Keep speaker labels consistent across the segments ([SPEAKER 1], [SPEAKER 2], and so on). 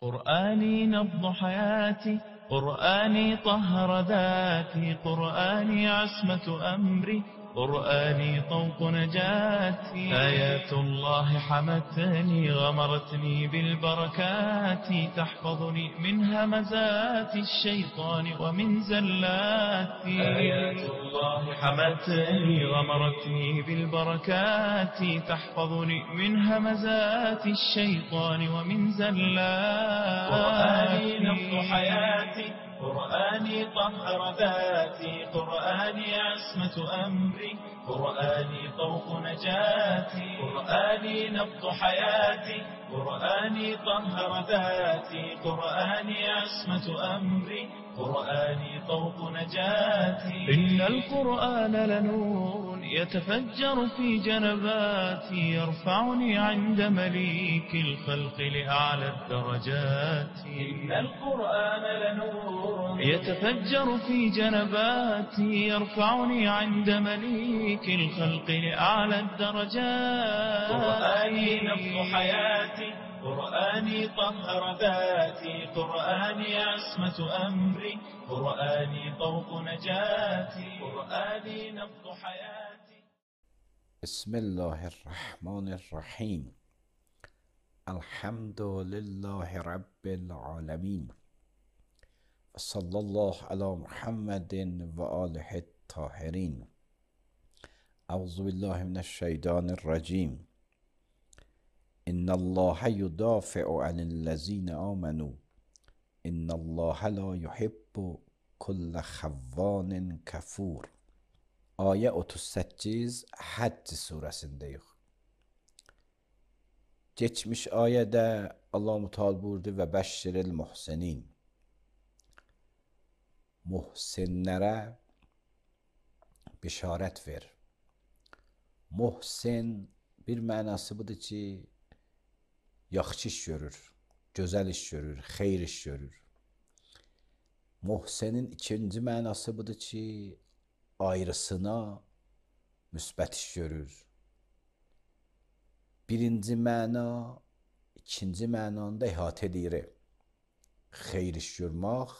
[SPEAKER 1] قرآني نبض حياتي، قرآني طهر ذاتي، قرآني عصمة أمري، قرآني طوق نجاتي. آيات الله حمتني غمرتني بالبركات، تحفظني من همزات الشيطان ومن زلاتي. آيات الله حمتني غمرتني بالبركات، تحفظني من همزات الشيطان ومن زلاتي. قرآني نبض حياتي، قرآني طهر ذاتي، قرآني عصمة أمري، قرآني طوق نجاتي. قرآني نبض حياتي، قرآني طهر ذاتي، قرآني عصمة أمري، قرآني طوق نجاتي. إن القرآن لنور يتفجر في جنباتي، يرفعني عند مليك الخلق لأعلى الدرجات. إن القرآن لنور يتفجر في جنباتي، يرفعني عند مليك الخلق لأعلى الدرجات. قرآني نبض حياتي، قرآني طهر ذاتي، قرآني عصمة أمري، قرآني طوق نجاتي. قرآني نبض حياتي.
[SPEAKER 2] بسم الله الرحمن الرحیم. الحمد لله رب العالمین و صلی الله علی محمد و آله الطاهرین. اعوذ بالله من الشیطان الرجیم. ان الله یدافع عن الذین آمنوا ان الله لا يحب كل خوان kafur. Ayə 38 Həcc surəsindəyik. Geçmiş ayədə Allah-u Teala buyurdu və bəşşiril muhsinin. Muhsinlərə bişarət ver. Muhsin bir mənası budur ki, yaxşı iş görür, gözəl iş görür, xeyir iş görür. Muhsinin ikinci mənası budur ki, ayrısına müsbət iş görür. Birinci məna, ikinci mənanda ihatə edir. Xeyir iş görmək,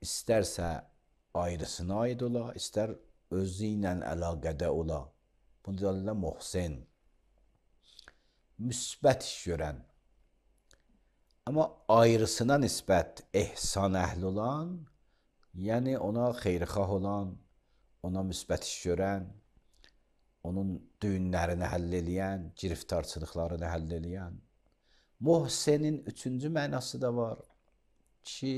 [SPEAKER 2] istərsə ayrısına aid ola, istər özü ilə əlaqədə ola. Bunu deyirlər muhsin. Müsbət iş görən. Amma ayrısına nisbət ehsan əhli olan, yəni ona xeyrxah olan, ona müsbət iş görən, onun düyünlərini həll eləyən, giriftarçılıqlarını həll eləyən. Muhsinin üçüncü mənası da var ki,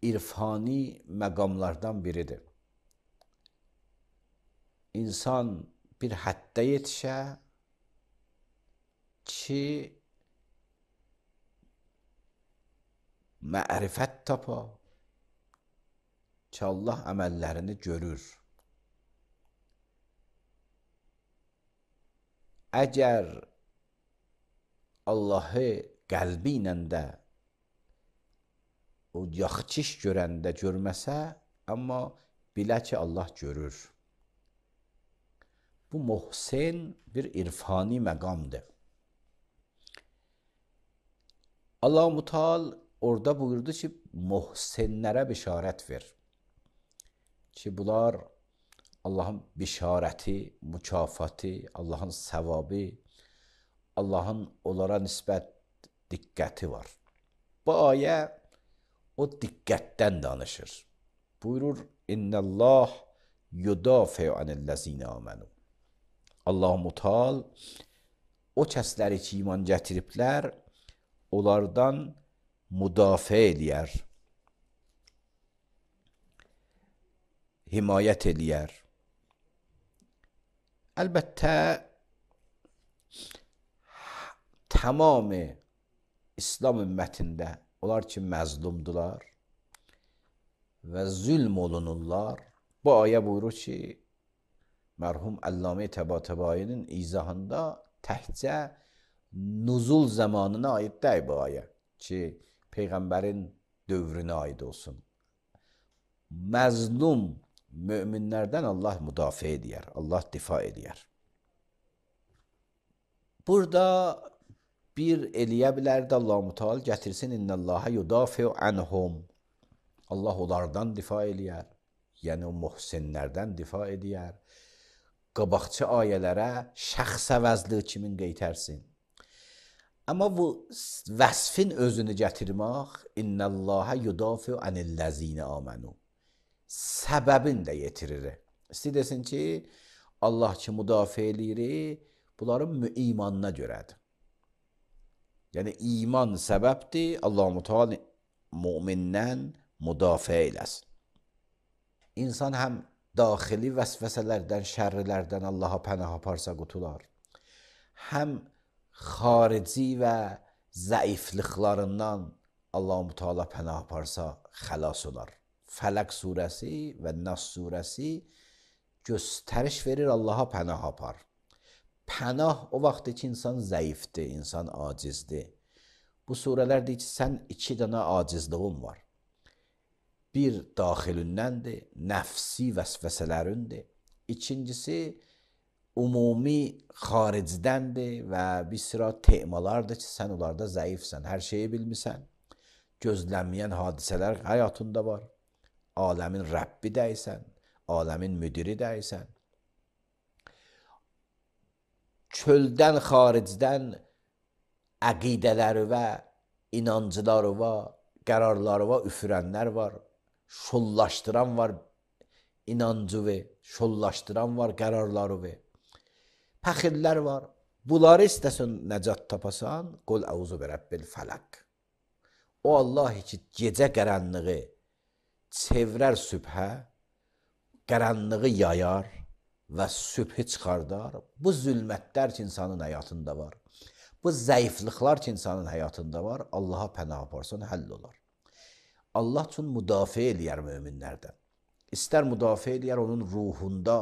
[SPEAKER 2] irfani məqamlardan biridir. İnsan bir həddə yetişə ki, mərifət tapa ki, Allah əməllərini görür. Əgər Allahı qəlbi ilə də o yaxşı iş görəndə görməsə, amma bilə ki, Allah görür. Bu muhsin bir irfani məqamdır. Allah-u Teala orada buyurdu ki, muhsinlərə bişarət ver. Ki, bunlar Allahın bişarəti, mükafatı, Allahın səvabı, Allahın onlara nisbət diqqəti var. Bu ayə o diqqətdən danışır. Buyurur, İnnəllah yudafi'u anillezine amenu. Allah-u Teala o kəsləri ki, iman gətiriblər, onlardan müdafiə eləyər, himayət eləyər. Əlbəttə, tamam İslam ümmətində onlar ki, məzlumdular və zülm olunurlar. Bu ayə buyurur ki, mərhum Əllamə Təbatabainin izahında təhcə nuzul zamanına aid deyil bu ayə ki, Peyğəmbərin dövrünə aid olsun. Məzlum müminlərdən Allah müdafiə edər, Allah difa edər. Burada bir eləyə bilər də Allah-u Teala gətirsin innallaha yudafi'u anhum. Allah onlardan difa eləyər. Yəni o muhsinlərdən difa eləyər. Qabaqçı ayələrə şəxs əvəzli kimin qeytərsin. Amma bu vəsfin özünü gətirmək innallaha yudafi'u anillezine amenu. Səbəbin də yetirir. İstəyir desin ki, Allah ki müdafiə eləyir, bunların imanına görədir. Yəni iman səbəbdir, Allah-u Teala mümindən müdafiə eləsin. İnsan həm daxili vəsvəsələrdən, şərrilərdən Allaha pənah aparsa qutular. Həm xarici və zəifliklərindən Allah-u Teala pənah aparsa xəlas olar. Fələq surəsi və Nas surəsi göstəriş verir Allaha pənah apar. Pənah o vaxtdır ki, insan zəifdir, insan acizdir. Bu surələr deyir ki, sən iki dənə acizliğin var. Bir daxilindəndir, nəfsi vəsvəsələrindir. İkincisi, umumi xaricdəndir və bir sıra temalardır ki, sən onlarda zəifsən, hər şeyi bilmirsən. Gözlənməyən hadisələr həyatında var. Aləmin Rəbbi dəysən, aləmin müdiri dəysən. Çöldən, xaricdən əqidələri və inancıları var, qərarları var, üfürənlər var, şollaşdıran var, inancı və şollaşdıran var, qərarları və pəxillər var. Bunları istəsən nəcat tapasan, qol əuzu bi Rabbil fələq. O Allah ki, gecə qaranlığı çevrər sübhə, qaranlığı yayar və sübhü çıxardar. Bu zülmətlər ki, insanın həyatında var. Bu zəifliklər ki, insanın həyatında var. Allaha pənah aparsan, həll olar. Allah üçün müdafiə eləyər möminlərdən. İstər müdafiə eləyər, onun ruhunda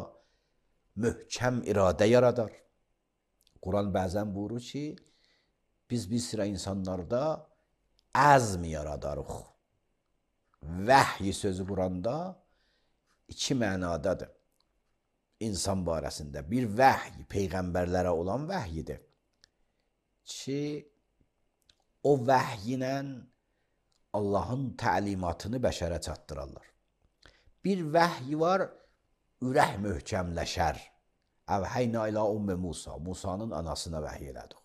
[SPEAKER 2] möhkəm iradə yaradar. Quran bəzən buyurur ki, biz bir sıra insanlarda əzm yaradarıq. Vəhy sözü Quranda iki mənadadır. İnsan barəsində bir vəhy, peyğəmbərlərə olan vəhyidir ki, o vəhy ilə Allahın təlimatını bəşərə çatdırarlar. Bir vəhy var, ürək möhkəmləşər. Əvhəynə ilə ümmü Musa, Musanın anasına vəhy elədik.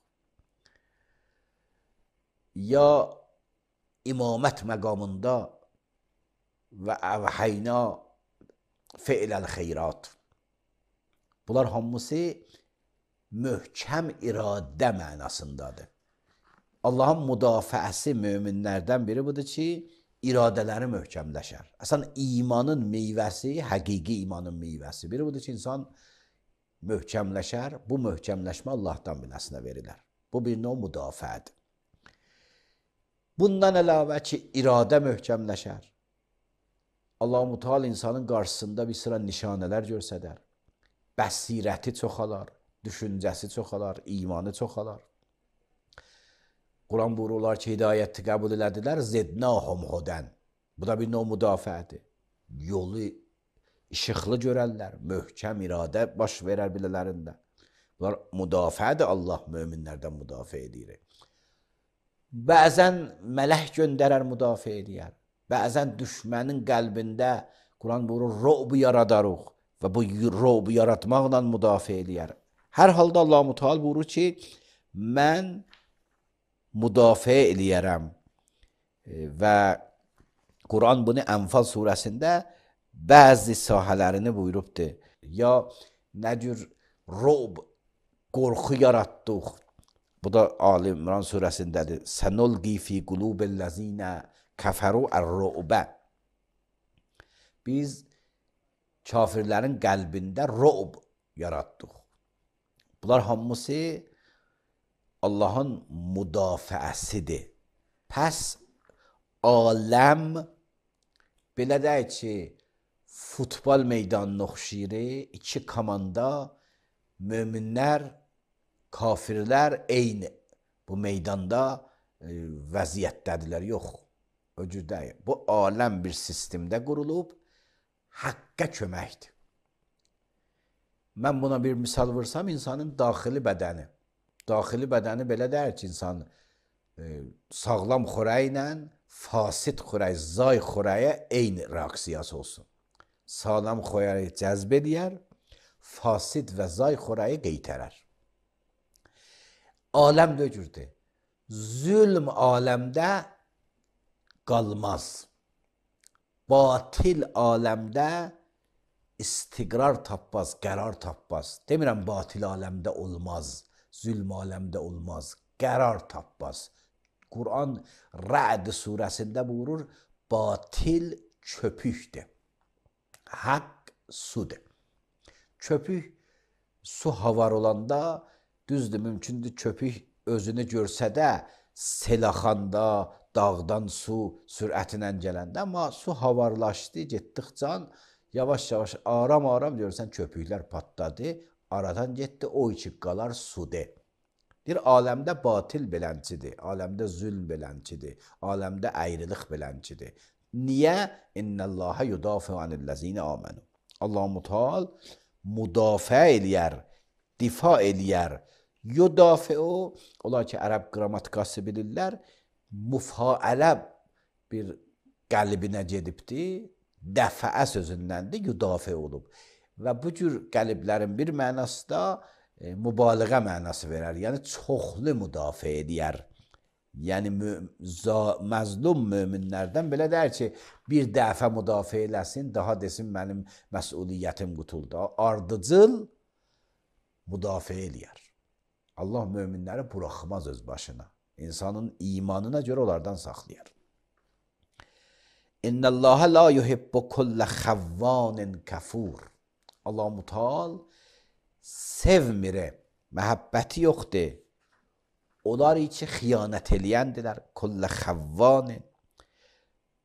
[SPEAKER 2] Ya imamət məqamında və əvhəynə fe'ləl xeyrat. Bunlar hamısı möhkəm iradə mənasındadır. Allahın müdafiəsi möminlərdən biri budur ki, iradələri möhkəmləşər. Əslən, imanın meyvəsi, həqiqi imanın meyvəsi. Biri budur ki, insan möhkəmləşər, bu möhkəmləşmə Allahdan biləsinə verilər. Bu bir növ müdafiədir. Bundan əlavə ki, iradə möhkəmləşər. Allah-u Teala insanın qarşısında bir sıra nişanələr görsədər. Bəsirəti çoxalar, düşüncəsi çoxalar, imanı çoxalar. Quran buyururlar ki, hidayəti qəbul elədilər, zidnahum hudən. Bu da bir növ müdafiədir. Yolu işıqlı görərlər, möhkəm iradə baş verər bilələrində. Bunlar müdafiədir, Allah möminlərdən müdafiə edir. Bəzən mələk göndərər, müdafiə edir. Bəzən düşmənin qəlbində Quran buyurur, ro'bu yaradarıq və bu ro'bu yaratmaqla müdafiə edir. Hər halda Allah-u Teala buyurur ki, mən müdafiə eləyərəm və Quran bunu Ənfal surəsində bəzi sahələrini buyurubdur. Ya nə cür ro'b, qorxu yaratdıq. Bu da Ali İmran surəsindədir. Sənulqi fi qulubellezine kəfəru ər-ru'bə. Biz kafirlərin qəlbində ro'b yaratdıq. Bunlar hamısı Allahın müdafiəsidir. Pəs aləm belə deyək ki, futbol meydanına oxşayır, iki komanda, möminlər, kafirlər eyni bu meydanda vəziyyətdədirlər, yox. O cür deyil. Bu aləm bir sistemdə qurulub, haqqa köməkdir. Mən buna bir misal vursam, insanın daxili bədəni. daxili bədəni belə deyir ki, insan sağlam xörəklə fasid xörək, zay xörəyə eyni reaksiyası olsun. Sağlam xörəyi cəzb edər, fasid və zay xörəyi qeytərər. Aləm döcürdür. Zülm aləmdə qalmaz. Batil aləmdə istiqrar tapmaz, qərar tapmaz. Demirəm batil aləmdə olmaz, zülm aləmdə olmaz, qərar tapmaz. Quran Rə'd surəsində buyurur, batil köpükdür, haqq sudur. Köpük su havar olanda, düzdür, mümkündür köpük özünü görsə də, selaxanda, dağdan su sürətlə gələndə, amma su havarlaşdı, getdikcə yavaş-yavaş, aram-aram görürsən köpüklər patladı, aradan getdi, o içi qalar sudur. Bir aləmdə batil belənçidir, aləmdə zülm belənçidir, aləmdə əyriliq belənçidir. Niyə? İnnəlləhə yudafi anillezine amenu. Allah-u Teala müdafiə eləyər, difa eləyər. Yudafi o, olar ki, ərəb qrammatikası bilirlər, müfailə bir qəlbinə gedibdir, dəfəə sözündəndir, yudafi olub. Və bu cür qəlblərin bir mənası da mübaliğə mənası verər, yəni çoxlu müdafiə edər. Yəni məzlum möminlərdən belə deyər ki, bir dəfə müdafiə eləsin, daha desin mənim məsuliyyətim qutuldu. Ardıcıl müdafiə eləyər. Allah möminləri buraxmaz öz başına. İnsanın imanına görə onlardan saxlayar. İnnəlləhə la yuhibbu kullə xəvvanin kəfur. Allah-u Teala sevmir, məhəbbəti yoxdur. Onlar içi xiyanət eləyəndirlər, kullə xəvvanin.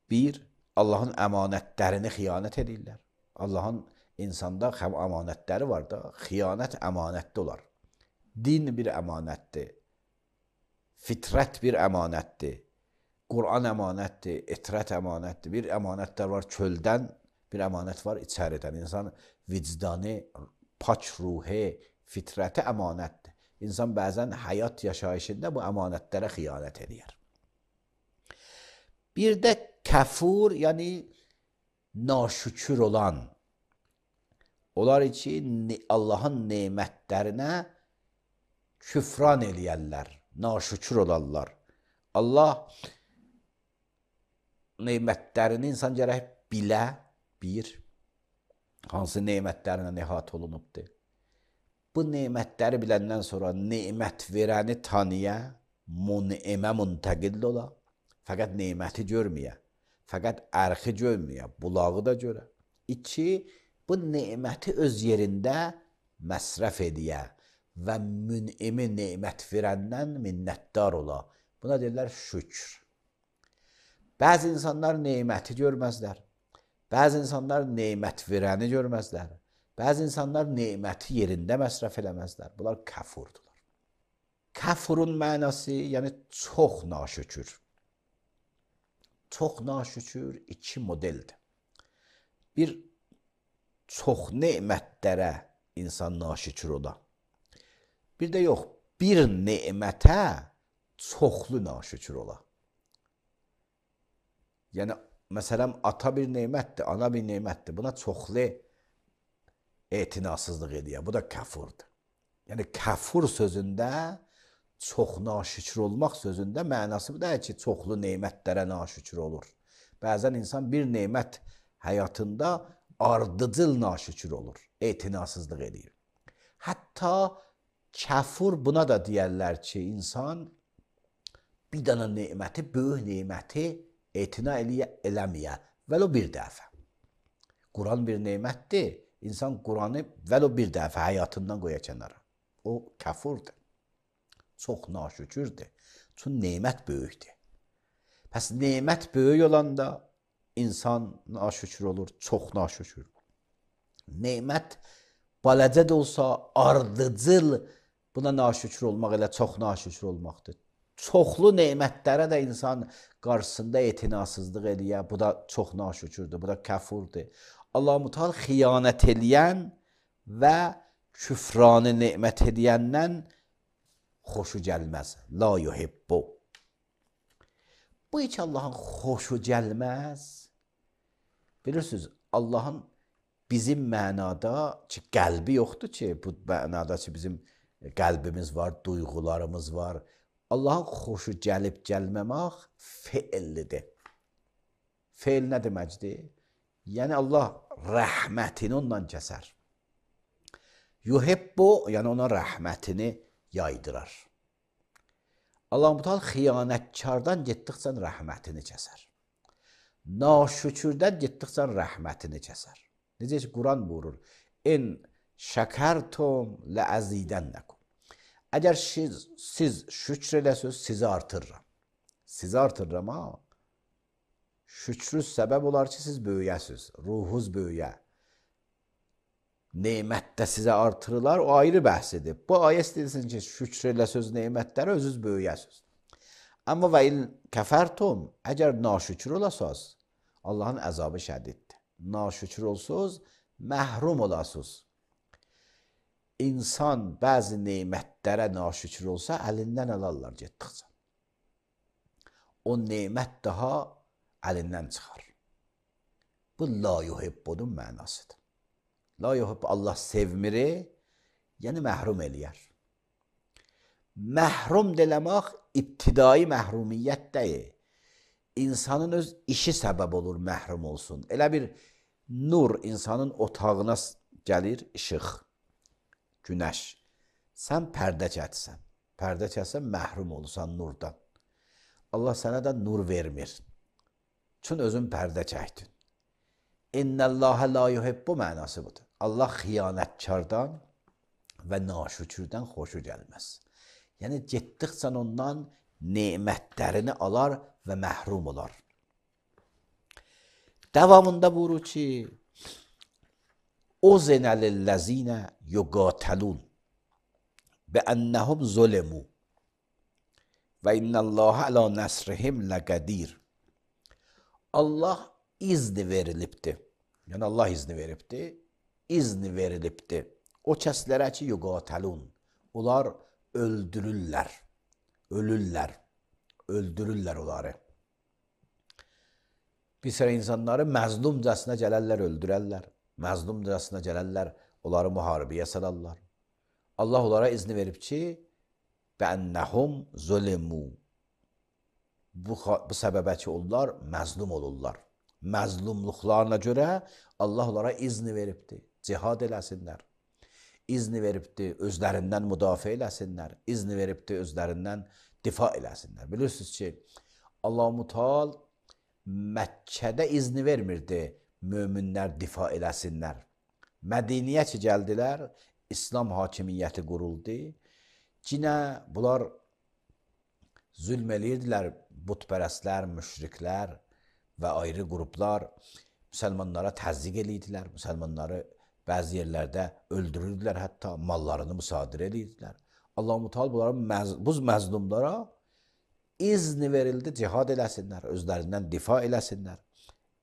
[SPEAKER 2] Bir, Allahın əmanətlərini xiyanət edirlər. Allahın insanda əmanətləri var da, xiyanət əmanətdə olar. Din bir əmanətdir, fitrət bir əmanətdir, Quran əmanətdir, etrət əmanətdir. Bir əmanətlər var çöldən, bir əmanət var içəridən. İnsan vicdanı, pak ruhi, fitrəti əmanətdir. İnsan bəzən həyat yaşayışında bu əmanətlərə xiyanət edir. Bir də kəfur, yəni naşükür olan. Onlar için Allahın nemətlərinə küfran eləyərlər, naşükür olarlar. Allah nemətlərini insan gərək bilə, bir, hansı nemətlərinə nehat olunubdur. Bu nemətləri biləndən sonra nemət verəni tanıya, mun'imə müntəqil ola, fəqət neməti görməyə, fəqət ərxi görməyə, bulağı da görə. İki, bu neməti öz yerində məsrəf ediyə və mün'imi nemət verəndən minnətdar ola. Buna deyirlər şükür. Bəzi insanlar neməti görməzlər, bəzi insanlar nemət verəni görməzlər. Bəzi insanlar neməti yerində məsrəf eləməzlər. Bunlar kəfurdular. Kəfurun mənası, yəni çox naşükür. Çox naşükür iki modeldir. Bir, çox nemətlərə insan naşükür ola. Bir də yox, bir nemətə çoxlu naşükür ola. Yəni, məsələn, ata bir nemətdir, ana bir nemətdir. Buna çoxlu etinasızlıq edir. Bu da kəfurdur. Yəni, kəfur sözündə, çox naşükür olmaq sözündə mənası bu deyil ki, çoxlu nemətlərə naşükür olur. Bəzən insan bir nemət həyatında ardıcıl naşükür olur, etinasızlıq edir. Hətta kəfur buna da deyərlər ki, insan bir dənə neməti, böyük neməti etina eləməyə, vəlo bir dəfə. Quran bir nemətdir. İnsan Quranı vəlo bir dəfə həyatından qoya kənara. O kəfurdur. Çox naşükürdür. Çünki nemət böyükdür. Pəs nemət böyük olanda insan naşükür olur, çox naşükür. Nemət balacə də olsa ardıcıl, buna naşükür olmaq elə çox naşükür olmaqdır. Çoxlu nemətlərə də insan qarşısında etinasızlıq edir. Bu da çox naşükürdür, bu da kəfurdur. Allah-u Teala xiyanət eləyən və küfranı nemət edəndən xoşu gəlməz. La yuhibbu. Bu heç Allahın xoşu gəlməz. Bilirsiniz, Allahın bizim mənada ki, qəlbi yoxdur ki, bu mənada ki, bizim qəlbimiz var, duyğularımız var. Allahın xoşu gəlib gəlməmək feillidir. Feil nə deməkdir? Yəni Allah rəhmətini ondan kəsər. Yuhibbu, yəni ona rəhmətini yaydırar. Allah-u Teala xiyanətkardan getdikcə rəhmətini kəsər. Naşükürdən getdikcə rəhmətini kəsər. Necə ki, Quran buyurur, in şəkərtum ləəzidənləkum. Əgər siz şükr eləsiniz, sizi artırıram. Sizi artırıram, ha? Şükrüz səbəb olar ki, siz böyüyəsiniz, ruhunuz böyüyə. Nemətdə sizə artırılar, o ayrı bəhsidir. Bu ayə istəyirsin ki, şükr eləsiniz nemətlərə, özünüz böyüyəsiniz. Amma və il kəfərtum, əgər naşükür olasınız, Allahın əzabı şədiddir. Naşükür olsuz, məhrum olasınız. İnsan bəzi nemətlərə naşükür olsa, əlindən alarlar getdikcə. O nemət daha əlindən çıxar. Bu la yuhibbunun mənasıdır. La yuhibbu, Allah sevmiri, yəni məhrum eləyər. Məhrum demək ibtidai məhrumiyyət deyil. İnsanın öz işi səbəb olur məhrum olsun. Elə bir nur insanın otağına gəlir, işıq, günəş. Sən pərdə çəksən. Pərdə çəksən məhrum olursan nurdan. Allah sənə də nur vermir. Çün özün pərdə çəkdin. İnnəllâhə la yuhibbu mənası budur. Allah xiyanətkardan və naşükürdən xoşu gəlməz. Yəni, getdikcə ondan nemətlərini alar və məhrum olar. Davamında buyurur ki, Uzinə lilləzinə yuqatalun bəənnəhum zulemu və innəllâhə alə nəsrihim ləqədir. Allah izni verilibdir. Yəni, Allah izni veribdir. İzni verilibdir. O kəslərə ki, yuqatalun. Onlar öldürürlər. Ölürlər. Öldürürlər onları. Bir sıra insanları məzlumcasına gələrlər, öldürərlər. Məzlumcasına gələrlər, onları müharibəyə salarlar. Allah onlara izni verib ki, bəənnəhum zulemu. Bu səbəbə ki, onlar məzlum olurlar. Məzlumluqlarına görə Allah onlara izni veribdir. Cihad eləsinlər. İzni veribdir, özlərindən müdafiə eləsinlər. İzni veribdir, özlərindən difa eləsinlər. Bilirsiniz ki, Allah-u Teala Məkkədə izni vermirdi möminlər difa eləsinlər. Mədiniyə ki, gəldilər, İslam hakimiyyəti quruldu. Yine bunlar zülm eləyirdilər, butpərəstlər, müşriklər və ayrı qruplar müsəlmanlara təzyiq eləyirdilər, müsəlmanları bəzi yerlərdə öldürürdülər, hətta mallarını müsadirə eləyirdilər. Allah-u Teala bu məzlumlara izni verildi, cihad eləsinlər, özlərindən difa eləsinlər.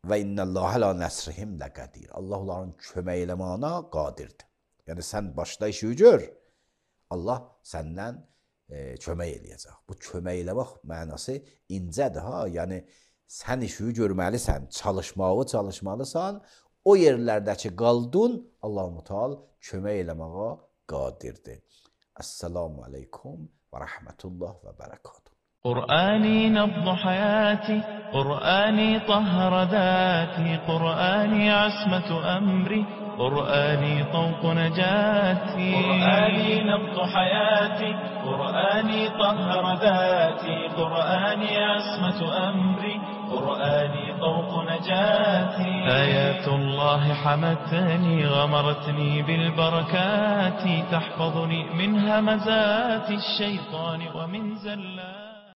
[SPEAKER 2] Və innəllâhə alə nəsrihim ləqədir. Allah onların kömək eləməyinə qadirdir. Yəni sən başda işi gör, Allah səndən kömək eləyəcək. Bu kömək eləmək mənası incədir ha. Yəni sən işi görməlisən, çalışmalısan. O yerlərdəki qaldın, Allah-u Teala kömək eləməyə qadirdir. Esselamu aleykum və rəhmətullah və bərəkatuhu.
[SPEAKER 1] قرآني نبض حياتي، قرآني طهر ذاتي، قرآني عصمة أمري، قرآني طوق نجاتي. قرآني نبض حياتي، قرآني طهر ذاتي، قرآني عصمة أمري، قرآني طوق نجاتي. آيات الله حمتني، غمرتني بالبركات، تحفظني من همزات الشيطان ومن زلات